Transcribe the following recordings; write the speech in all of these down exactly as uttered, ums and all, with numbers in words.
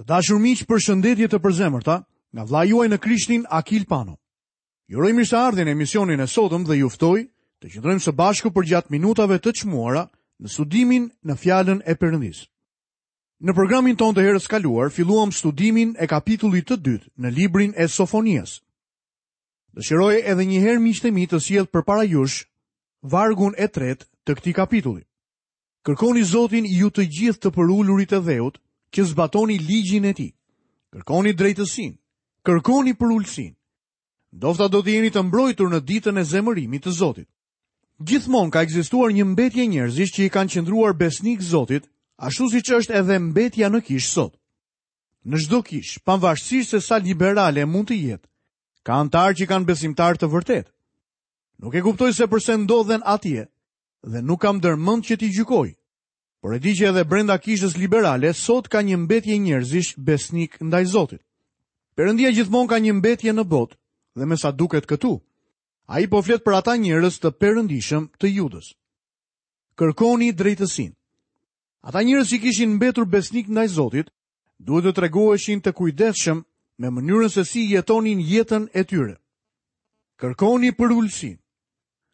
Të dashur miq, përshëndetje të përzemërta nga vëllai juaj në Krishtin Akil Pano. Ju uroj mirëseardhjen në emisionin e sotëm dhe ju ftoj të qëndrojmë së bashku përgjatë minutave të çmuara në studimin në fjalën e Perëndisë. Në programin tonë të herës kaluar filluam studimin e kapitullit të dytë në librin e Sofonias. Dëshiroj edhe një herë, miqtë e mi, të sjell përpara jush vargun e tretë të këtij kapitulli. Kërkoni Zotin ju të gjithë të përulurit e dheut, që zbatoni ligjin e tij. Kërkoni drejtësinë, kërkoni përulësinë. Ndofta do të jeni të mbrojtur në ditën e zemërimit të Zotit. Gjithmonë ka ekzistuar një mbetje njerëzish që i kanë qëndruar besnik Zotit, ashtu siç është edhe mbetja në kishë sot. Në çdo kishë, pavarësisht se sa liberale mund të jetë, ka anëtarë që kanë besimtar të vërtetë. Nuk e kuptoj se përse ndodhen atje dhe nuk kam ndërmend që t'i gjykoj. Por e di që edhe brenda kishës liberale sot ka një mbetje njerëzish besnik ndaj Zotit. Perëndia gjithmonë ka një mbetje në botë dhe me sa duket këtu, ai po flet për ata njerëz të perëndishëm të Judës. Kërkoni drejtësinë. Ata njerëz që kishin mbetur besnik ndaj Zotit, duhet të tregoheshin të kujdesshëm me mënyrën se si jetonin jetën e tyre. Kërkoni përulësinë.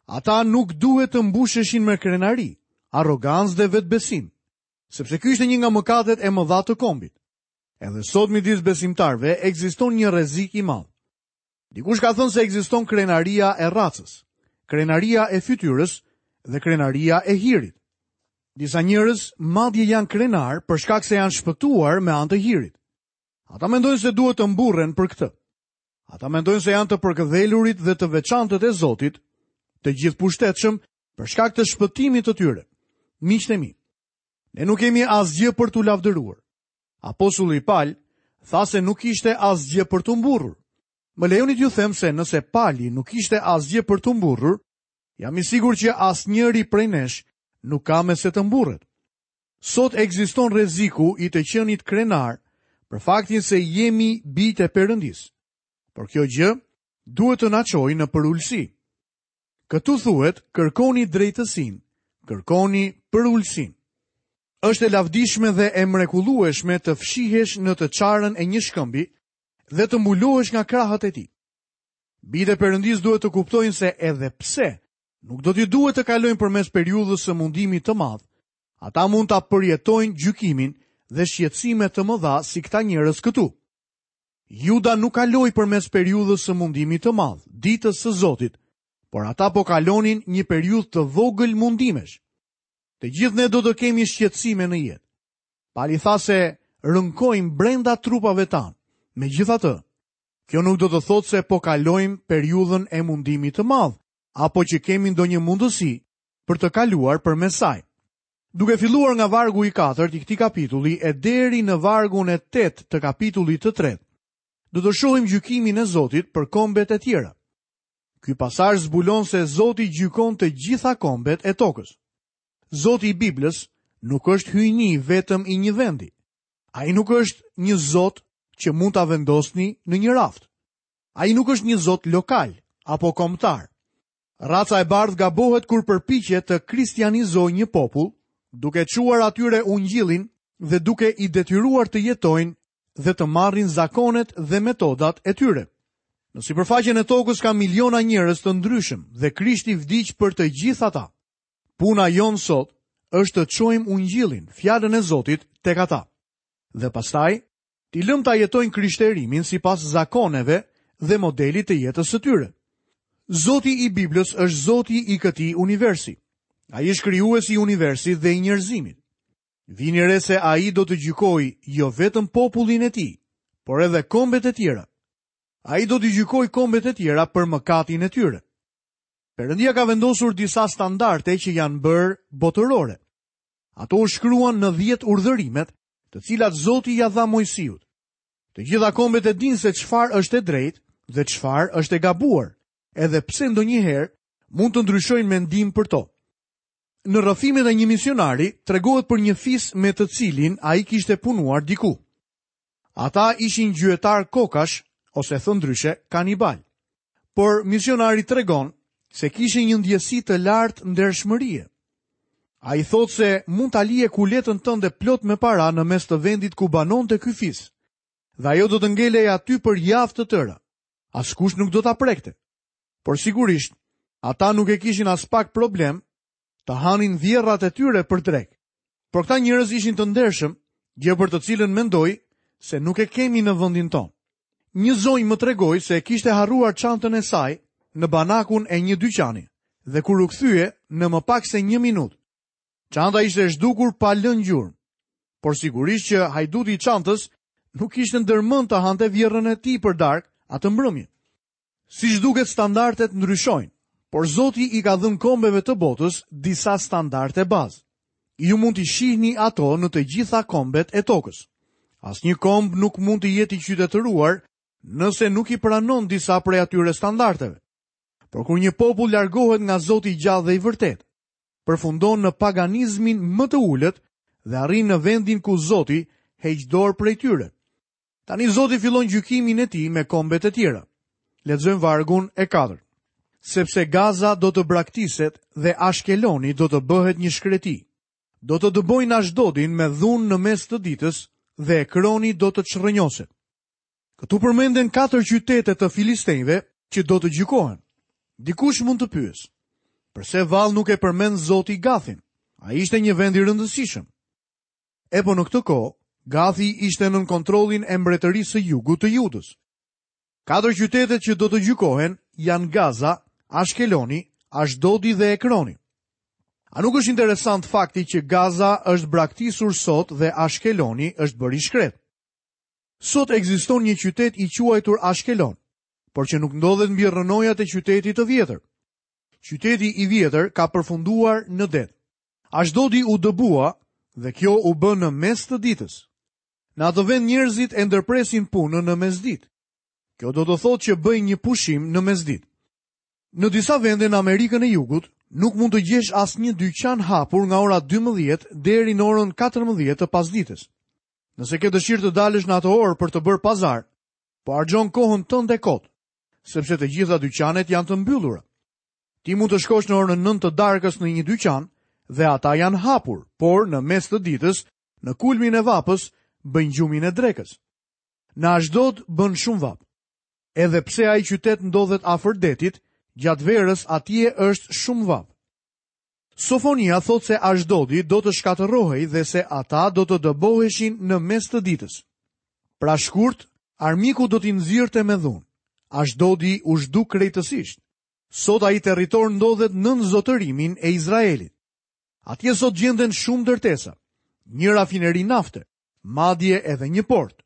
Ata nuk duhet të mbusheshin me krenari, arrogancë dhe vetbesim, sepse ky ishte një nga mëkatet e mëdha të kombit. Edhe sot midis besimtarëve ekziston një rrezik i madh. Dikush ka thënë se ekziston krenaria e racës, krenaria e fytyrës dhe krenaria e hirit. Disa njerëz madje janë krenar për shkak se janë shpëtuar me anë të hirit. Ata mendojnë se duhet të mburren për këtë. Ata mendojnë se janë të përkëdhelurit dhe të veçantët e Zotit, të gjithë pushtetshëm për shkak të shpëtimit të tyre. Miqtë e mi, ne nuk kemi asgjë për t'u lavdëruar. Apostulli Pal tha se nuk ishte asgjë për t'u mburrur. Më lejoni t'ju them se nëse Pali nuk ishte asgjë për t'u mburrur, jam i sigurt që asnjëri prej nesh nuk ka me se të mburret. Sot ekziston rreziku i të qenit krenar për faktin se jemi bijtë e Perëndisë. Por kjo gjë duhet të na çojë në përulësi. Këtu thuhet, kërkoni drejtësinë, kërkoni përulësinë. Është e lavdishme dhe e mrekullueshme të fshihesh në të çarën e një shkëmbi dhe të mbulohesh nga krahët e tij. Bijtë e Perëndisë duhet të kuptojnë se edhe pse nuk do t'i duhet të kalojnë përmes periudhës së mundimit të madh, ata mund ta përjetojnë gjykimin dhe shqetësime të mëdha si këta njerëz këtu. Juda nuk kaloi përmes periudhës së mundimit të madh, ditës së Zotit, por ata po kalonin një periudhë të vogël mundimesh. Të gjithë ne do të kemi shqetësime në jetë. Pali tha se rënkojmë brenda trupave tanë. Megjithatë, kjo nuk do të thotë se po kalojmë periudhën e mundimit të madh, apo që kemi ndonjë mundësi për të kaluar përmes saj. Duke filluar nga vargu i katërt i këtij kapitulli e deri në vargun e tetë të kapitullit të tretë, do të shohim gjykimin e Zotit për kombet e tjera. Ky pasazh zbulon se Zoti gjykon të gjitha kombet e tokës. Zoti i Biblës nuk është hyjni vetëm i një vendi. Ai nuk është një Zot që mund ta vendosni në një raft. Ai nuk është një Zot lokal apo kombëtar. Raca e bardhë gabohet kur përpiqet të kristianizojë një popull, duke çuar atyre ungjillin dhe duke i detyruar të jetojnë dhe të marrin zakonet dhe metodat e tyre. Në sipërfaqen e tokës ka miliona njerëz të ndryshëm dhe Krishti vdiq për të gjithë ata. Puna jonë sot është të çojmë ungjillin, fjalën e Zotit, tek ata. Dhe pastaj, t'i lëm ta jetojnë krishterimin sipas zakoneve dhe modelit të jetës së tyre. Zoti i Biblës është Zoti i këtij universi. Ai është krijuesi i universit dhe i njerëzimit. Vini re se ai do të gjykojë jo vetëm popullin e tij, por edhe kombet e tjera. Ai do të gjykojë kombet e tjera për mëkatin e tyre. Perëndia ka vendosur disa standarde që janë bërë botërore. Ato u shkruan në dhjetë urdhërimet, të cilat Zoti ja dha Mojsiut. Të gjitha kombet e dinë se çfarë është e drejtë dhe çfarë është e gabuar, edhe pse ndonjëherë mund të ndryshojnë mendim për to. Në rrëfimet e një misionari tregohet për një fis me të cilin ai kishte punuar diku. Ata ishin gjyetar kokash, ose thënë ndryshe, kanibal. Por misionari tregon se kishin një ndjesi të lartë ndershmërie. Ai thotë se mund ta lije kuletën tënde plot me para në mes të vendit ku banonte ky fis, Dhe ajo do të ngelej aty për javë të tëra. Askush nuk do ta prekte. Por sigurisht, ata nuk e kishin aspak problem të hanin vjerrat e tyre për drekë. Por këta njerëz ishin të ndershëm, gjë për të cilën mendoj se nuk e kemi në vendin tonë. Një zonjë më tregoi se e kishte harruar çantën e saj në banakun e një dyqani dhe kur u kthye në më pak se një minutë, çanta ishte zhdukur pa lënë gjurmë. Por sigurisht që hajduti i çantës nuk kishte ndërmend të hante vjerrën e tij për darkë atë mbrëmje. Siç duket, standardet ndryshojnë, por Zoti i ka dhënë kombeve të botës disa standarde bazë. Ju mund t'i shihni ato në të gjitha kombet e tokës. Asnjë komb nuk mund të jetë i qytetëruar nëse nuk i pranon disa prej atyre standardeve. Por kur një popull largohet nga Zoti i gjallë dhe i vërtetë, përfundon në paganizmin më të ulët dhe arrin në vendin ku Zoti heq dorë prej tyre. Tani Zoti fillon gjykimin e tij me kombet e tjera. Lexojmë vargun e katërt. Sepse Gaza do të braktiset dhe Ashkeloni do të bëhet një shkreti. Do të dëbojnë Ashdodin me dhunë në mes të ditës dhe Ekroni do të çrrënjoset. Këtu përmenden katër qytete të filistejve që do të gjykohen. Dikush mund të pyesë, përse vallë nuk e përmend Zoti Gathin? Ai ishte një vend i rëndësishëm. E po në këtë kohë, Gathi ishte nën kontrollin e mbretërisë së jugut të Judës. Katër qytetet që do të gjykohen janë Gaza, Ashkeloni, Ashdodi dhe Ekroni. A nuk është interesant fakti që Gaza është braktisur sot dhe Ashkeloni është bërë i shkret? Sot ekziston një qytet i quajtur Ashkelon, por që nuk ndodhet mbi rrënojat e qytetit të vjetër. Qyteti i vjetër ka përfunduar në det. Ashdodi u dëbua dhe kjo u bë në mes të ditës. Në atë vend njerëzit e ndërpresin punën në mesditë. Kjo do të thotë që bëjnë një pushim në mesditë. Në disa vende në Amerikën e Jugut nuk mund të gjesh asnjë dyqan hapur nga ora dymbëdhjetë deri në orën katërmbëdhjetë të pasditës. Nëse ke dëshirë të dalësh në atë orë për të bërë pazar, po harxhon kohën tënde kot, sepse të gjitha dyqanet janë të mbyllura. Ti mund të shkosh në orën nëntë të darkës në një dyqan dhe ata janë hapur, por në mes të ditës, në kulmin e vapës, bëjnë gjumin e drekës. Në Ashdod bën shumë vapë. Edhe pse ai qytet ndodhet afër detit, gjatë verës atje është shumë vapë. Sofonia thotë se Ashdodi do të shkatërrohej dhe se ata do të dëboheshin në mes të ditës. Pra shkurt, armiku do t'i nxirrte me dhunë. Ashdodi u zhduk krejtësisht. Sot ai territor ndodhet nën zotërimin e Izraelit. Atje sot gjenden shumë ndërtesa, një rafineri nafte, madje edhe një port.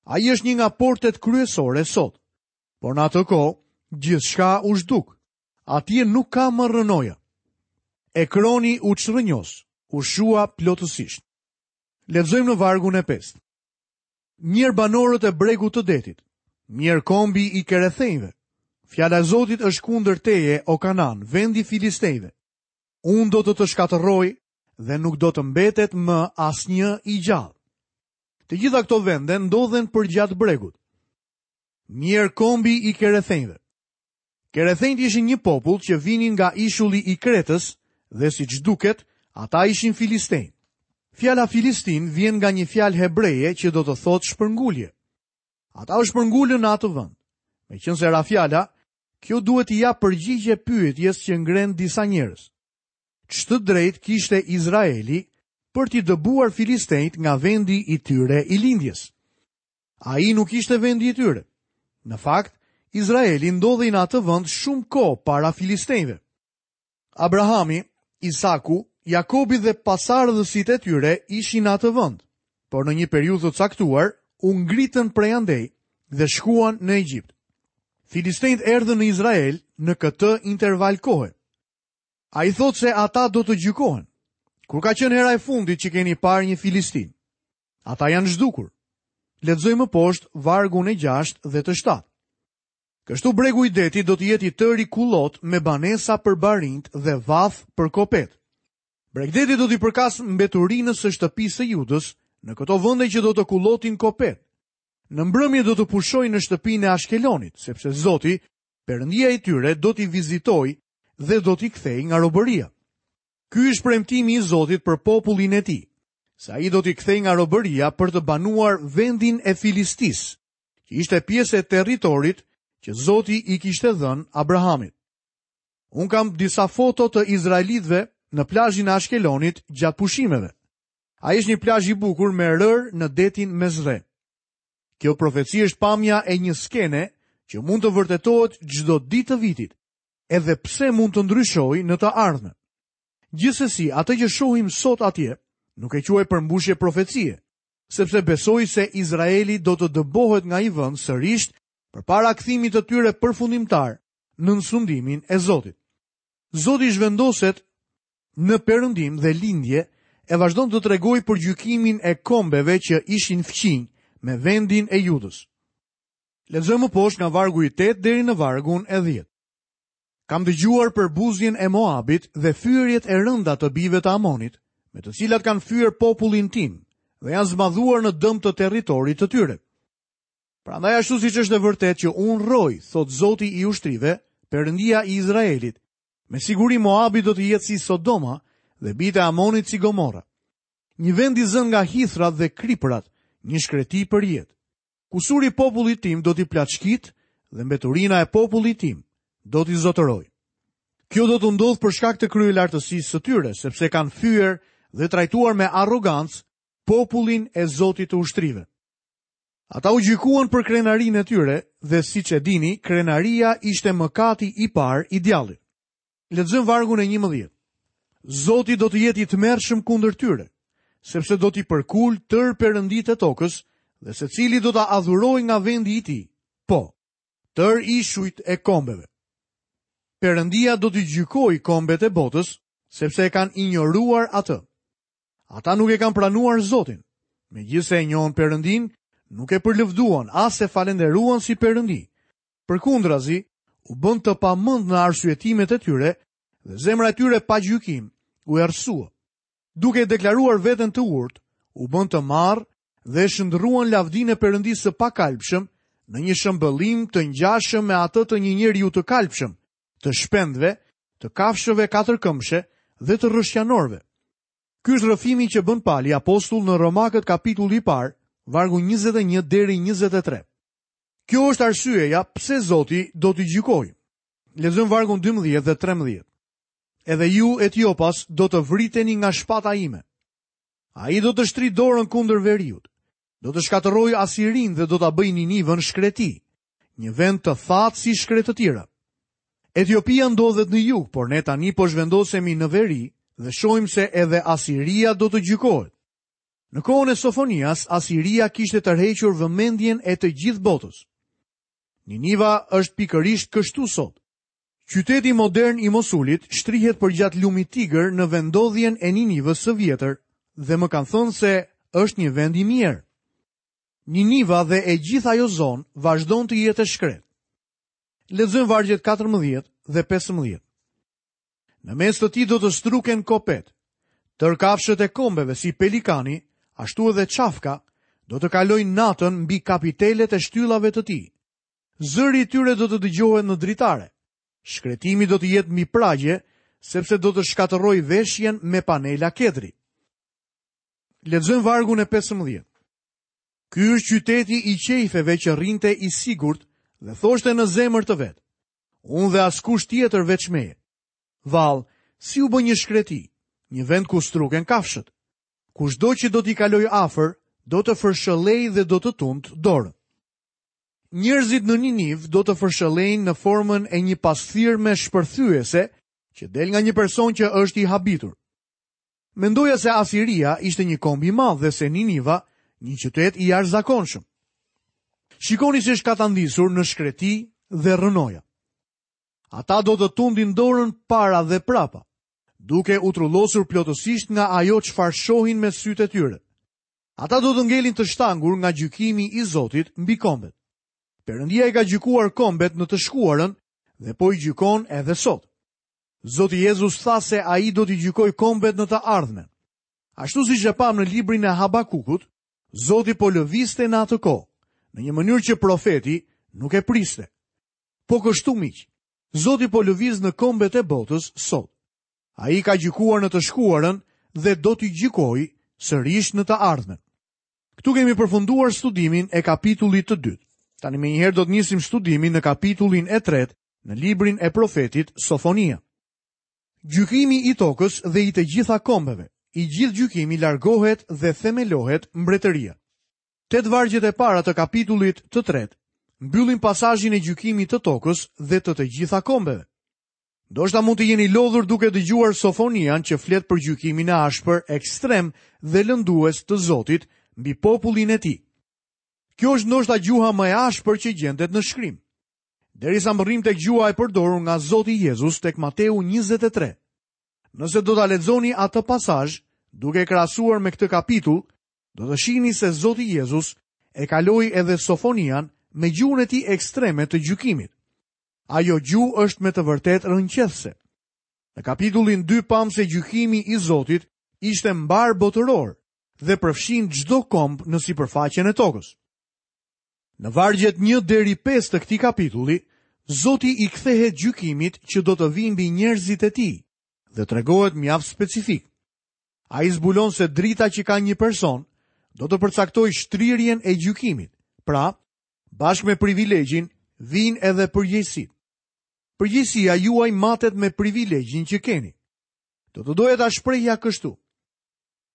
Ai është një nga portet kryesore sot. Por në atë kohë, gjithçka u zhduk. Atje nuk ka më rrënoja. Ekroni u çrrënjos, u shua plotësisht. Lexojmë në vargun e pestë. Mjerë banorët e bregut të detit, mjerë kombi i Kerethenjve. Fjala e Zotit është kundër teje, o Kanan, vendi filistejve. Unë do të të shkatërroj dhe nuk do të mbetet më asnjë i gjallë. Të gjitha këto vende ndodhen përgjatë bregut. Mjerë kombi i Kerethenjve. Kerethenjt ishin një popull që vinin nga ishulli i Kretës dhe siç duket, ata ishin filistejnë. Fjala Filistin vjen nga një fjalë hebreje që do të thotë shpërngulje. Ata u shpërngulën në atë vend. Meqense ra fjala, kjo duhet t'i jap përgjigje pyetjes që ngren disa njerëz. Ç'të drejt kishte Izraeli për t'i dëbuar filistejt nga vendi i tyre i lindjes? Ai nuk ishte vendi i tyre. Në fakt, Izraeli ndodhej në atë vend shumë kohë para filistejve. Abrahami, Isaku, Jakobi dhe pasardhësit e tyre ishin në atë vend, por në një periudhë të caktuar u ngritën prej andej dhe shkuan në Egjipt. Filistejt erdhën në Izrael në këtë interval kohe. Ai thotë se ata do të gjykohen. Kur ka qenë hera e fundit që keni parë një filistin? Ata janë zhdukur. Lexojmë më poshtë vargun e gjashtë dhe të shtatë. Kështu bregu i detit do të jetë i tëri kullot me banesa për barinjt dhe vath për kopet. Bregdeti do t'i përkas mbeturinës së shtëpisë së Judës në këto vende që do të kullotin kopet. Në mbrëmje do të pushojnë në shtëpinë e Ashkelonit, sepse Zoti, Perëndia i tyre, do t'i vizitojë dhe do t'i kthejë nga robëria. Ky është premtimi i Zotit për popullin e tij, se ai do t'i kthejë nga robëria për të banuar vendin e Filistisë, që ishte pjesë e territorit që Zoti i kishte dhënë Abrahamit. Unë kam disa foto të izraelitëve në plazhin e Ashkelonit gjatë pushimeve. Ai është një plazh i bukur me rërë në detin Mesdhe. Kjo profeci është pamja e një skene që mund të vërtetohet çdo ditë të vitit, edhe pse mund të ndryshojë në të ardhmen. Gjithsesi, atë që shohim sot atje, nuk e quaj përmbushje profecie, sepse besoj se Izraeli do të dëbohet nga ai vend sërish përpara kthimit të tyre përfundimtar nën sundimin e Zotit. Zoti zhvendoset në perëndim dhe lindje e vazhdon të tregojë për gjykimin e kombeve që ishin fqinj me vendin e Judës. Lexojmë më poshtë nga vargu i tetë deri në vargun e dhjetë. Kam dëgjuar për buzjen e Moabit dhe fyerjet e rënda të bijve të Amonit, me të cilat kanë fyer popullin tim dhe janë zmadhuar në dëm të territorit të tyre. Prandaj ashtu siç është e vërtetë që unë rroj, thot Zoti i ushtrive, Perëndia i Izraelit, me siguri Moabi do të jetë si Sodoma dhe bijtë e Amonit si Gomorra. Një vend i zënë nga hithrat dhe kripërat, një shkreti për jetë. Kusuri i popullit tim do t'i plaçkit dhe mbeturina e popullit tim do t'i zotëroj. Kjo do të ndodhë për shkak të kryelartësisë së tyre, sepse kanë fyer dhe trajtuar me arrogancë popullin e Zotit të ushtrive. Ata u gjykuan për krenarinë e tyre dhe siç e dini, krenaria ishte mëkati i parë i djallit. Lexojmë vargun e njëmbëdhjetë. Zoti do të jetë i tmerrshëm kundër tyre, sepse do t'i përkul tërë perënditë e tokës dhe secili do ta adhurojë nga vendi i tij. Po, tërë ishujt e kombeve. Perëndia do t'i gjykojë kombet e botës, sepse e kanë injoruar atë. Ata nuk e kanë pranuar Zotin. Megjithëse e njohën Perëndin, nuk e përlëvduan as e falenderuan si Perëndi. Përkundrazi, u bën të pamend në arsyetimet e tyre dhe zemra e tyre pa gjykim u errësua. Duke e deklaruar veten të urtë, u bën të marrë dhe shndruan lavdinë e Perëndisë së pakalbshëm në një shëmbëllim të ngjashëm me atë të një njeriu të kalbshëm, të shpendëve, të kafshëve katërkëmbshe dhe të rrëshqanorëve. Ky është rrëfimi që bën Pali apostull në Romakët kapitulli i parë, vargu njëzet e një deri njëzet e tre. Kjo është arsyeja pse Zoti do t'i gjykojë. Lexojmë vargun dymbëdhjetë dhe trembëdhjetë. Edhe ju Etiopas do të vriteni nga shpata ime. Ai do të shtrijë dorën kundër veriut. Do të shkatërrojë Asirin dhe do ta bëjë Ninivën shkreti, një vend të thatë si shkretëtira. Etiopia ndodhet në jug, por ne tani po zhvendosemi në veri dhe shohim se edhe Asiria do të gjykohet. Në kohën e Sofonias, Asiria kishte tërhequr vëmendjen e të gjithë botës. Niniva është pikërisht kështu sot. Qyteti modern i Mosulit shtrihet përgjatë lumit Tigër në vendodhjen e Ninivës së vjetër dhe më kanë thënë se është një vend i mirë. Niniva dhe e gjithë ajo zonë vazhdon të jetë e shkret. Lexojmë vargjet katërmbëdhjetë dhe pesëmbëdhjetë. Në mes të tij do të struken kopet, tërë kafshët e kombeve si pelikani, ashtu edhe çafka, do të kalojnë natën mbi kapitelet e shtyllave të tij. Zëri i tyre do të dëgjohet në dritare. Shkretimi do të jetë mbi pragje, sepse do të shkatërroj veshjen me panela kedri. Lexojmë vargun e pesëmbëdhjetë. Ky është qyteti i qejfeve që rrinte i sigurt dhe thoshte në zemër të vet: Unë dhe askush tjetër veç meje. Vall, si u bë një shkreti, një vend ku struken kafshët. Kushdo që do t'i kalojë afër, do të fërshëllej dhe do të tund dorën. Njerëzit në Niniv do të fërshëllejnë në formën e një pasthirme shpërthyese që del nga një person që është i habitur. Mendoja se Asiria ishte një komb i madh dhe se Niniva një qytet i jashtëzakonshëm. Shikoni si është katandisur në shkreti dhe rrënoja. Ata do të tundin dorën para dhe prapa, duke u trullosur plotësisht nga ajo çfarë shohin me sytë e tyre. Ata do të ngelin të shtangur nga gjykimi i Zotit mbi kombet. Perëndia i ka gjykuar kombet në të shkuarën dhe po i gjykon edhe sot. Zoti Jezus tha se ai do t'i gjykojë kombet në të ardhmen. Ashtu siç e pam në librin e Habakukut, Zoti po lëvizte në atë kohë, në një mënyrë që profeti nuk e priste. Po kështu miq, Zoti po lëviz në kombet e botës sot. Ai ka gjykuar në të shkuarën dhe do t'i gjykojë sërish në të ardhmen. Këtu kemi përfunduar studimin e kapitullit të dytë. Tani menjëherë do të nisim studimin në kapitullin e tretë në librin e profetit Sofonia. Gjykimi i tokës dhe i të gjitha kombeve, i gjithë gjykimi largohet dhe themelohet mbretëria. Tetë vargjet e para të kapitullit të tretë mbyllin pasazhin e gjykimit të tokës dhe të të gjitha kombeve. Ndoshta mund të jeni lodhur duke dëgjuar Sofonian që flet për gjykimin e ashpër, ekstrem dhe lëndues të Zotit mbi popullin e tij. Kjo është ndoshta gjuha më e ashpër që gjendet në shkrim. Derisa mbërrim tek gjuha e përdorur nga Zoti Jezus tek Mateu njëzet e tre. Nëse do ta lexoni atë pasazh, duke e krahasuar me këtë kapitull, do të shihni se Zoti Jezus e kaloi edhe Sofonian me gjuhën e tij ekstreme të gjykimit. Ajo gjuhë është me të vërtetë rënqethëse. Në kapitullin dy pam se gjykimi i Zotit ishte mbar botëror dhe përfshin çdo komb në sipërfaqen e tokës. Në vargjet një deri pesë të këtij kapitulli, Zoti i kthehet gjykimit që do të vijë mbi njerëzit e tij dhe tregohet mjaft specifik. Ai zbulon se drita që ka një person do të përcaktojë shtrirjen e gjykimit. Pra, bashkë me privilegjin vijnë edhe përgjegjësitë. Përgjegjësia juaj matet me privilegjin që keni. Do të doja ta shprehja kështu.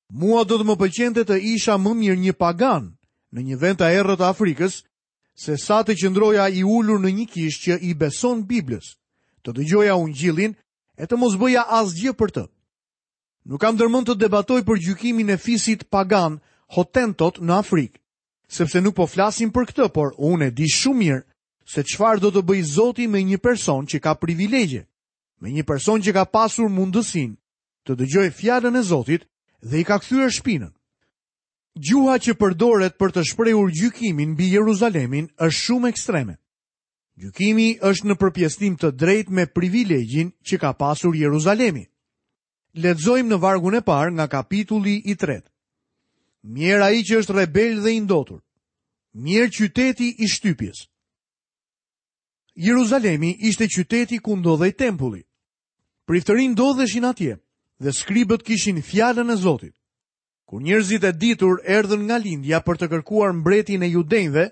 Mua do të më pëlqente të isha më mirë një pagan në një vend të errët të Afrikës, se sa të qëndroja i ulur në një kishë që i beson Biblës, të dëgjoja ungjillin e të mos bëja asgjë për të. Nuk kam ndërmend të debatoj për gjykimin e fisit pagan Hotentot në Afrikë, sepse nuk po flasim për këtë, por unë e di shumë mirë se çfarë do të bëj Zoti me një person që ka privilegje, me një person që ka pasur mundësinë të dëgjojë fjalën e Zotit dhe i ka kthyer shpinën. Gjuha që përdoret për të shprehur gjykimin mbi Jeruzalemin është shumë ekstreme. Gjykimi është në përpjesëtim të drejtë me privilegjin që ka pasur Jeruzalemi. Lexojmë në vargun e parë nga kapitulli i tretë. Mjerë ai që është rebel dhe i ndotur. Mjerë qyteti i shtypjes. Jeruzalemi ishte qyteti ku ndodhej tempulli. Priftërinj ndodheshin atje dhe skribët kishin fjalën e Zotit. Kur njerëzit e ditur erdhën nga lindja për të kërkuar mbretin e judenjve,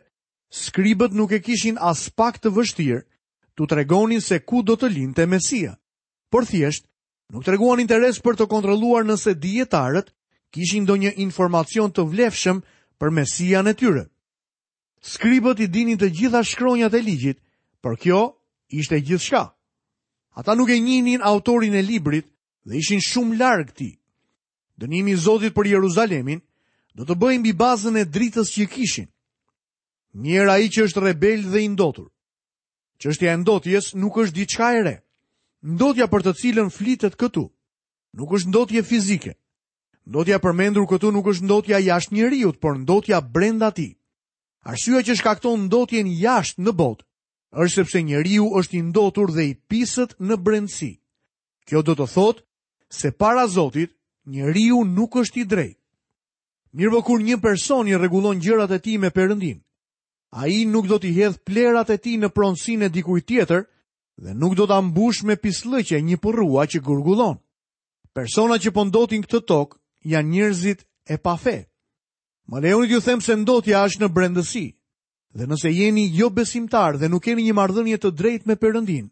skribët nuk e kishin as pak të vështirë t'u tregonin se ku do të linte Mesia. Por thjesht, nuk treguan interes për të kontrolluar nëse dijetarët kishin ndonjë informacion të vlefshëm për Mesian e tyre. Skribët i dinin të gjitha shkronjat e ligjit, por kjo ishte gjithçka. Ata nuk e njihnin autorin e librit dhe ishin shumë larg tij. Dënimi i Zotit për Jeruzalemin do të bëhej mbi bazën e dritës që kishin. Mjerë ai që është rebel dhe i ndotur. Çështja e ndotjes nuk është diçka e re. Ndotja për të cilën flitet këtu nuk është ndotje fizike. Ndotja përmendur këtu nuk është ndotja jashtë njeriut, por ndotja brenda tij. Arsyeja që shkakton ndotjen jashtë në botë është sepse njeriu është i ndotur dhe i pisët në brendësi. Kjo do të thotë se para Zotit njeriu nuk është i drejtë. Mirëpo kur një person i rregullon gjërat e tij me Perëndin, ai nuk do t'i hedh plerat e tij në pronësinë e dikujt tjetër dhe nuk do ta mbush me pisllëqe një përrua që gurgullon. Persona që po ndotin këtë tokë janë njerëzit e pafe. Më lejoni t'ju them se ndotja është në brendësi. Dhe nëse jeni jo besimtar dhe nuk keni një marrëdhënie të drejtë me Perëndin,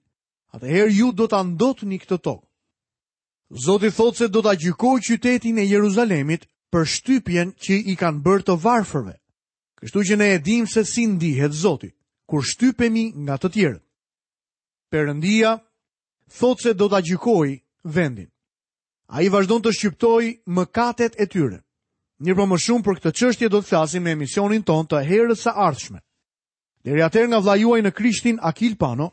atëherë ju do ta ndotni këtë tokë. Zoti thotë se do ta gjykojë qytetin e Jeruzalemit për shtypjen që i kanë bërë të varfërve. Kështu që ne e dimë se si ndihet Zoti kur shtypemi nga të tjerët. Perëndia thotë se do ta gjykojë vendin. Ai vazhdon të shqiptojë mëkatet e tyre. Mirëpo më shumë për këtë çështje do të flasim në emisionin ton të herës së ardhshme. Deri atëherë nga vëllai juaj në Krishtin Akil Pano,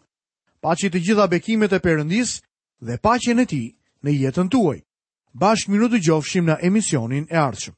paçi të gjitha bekimet e Perëndisë dhe paqen e tij në jetën tuaj. Bashkë mirë u dëgjofshim në emisionin e ardhshëm.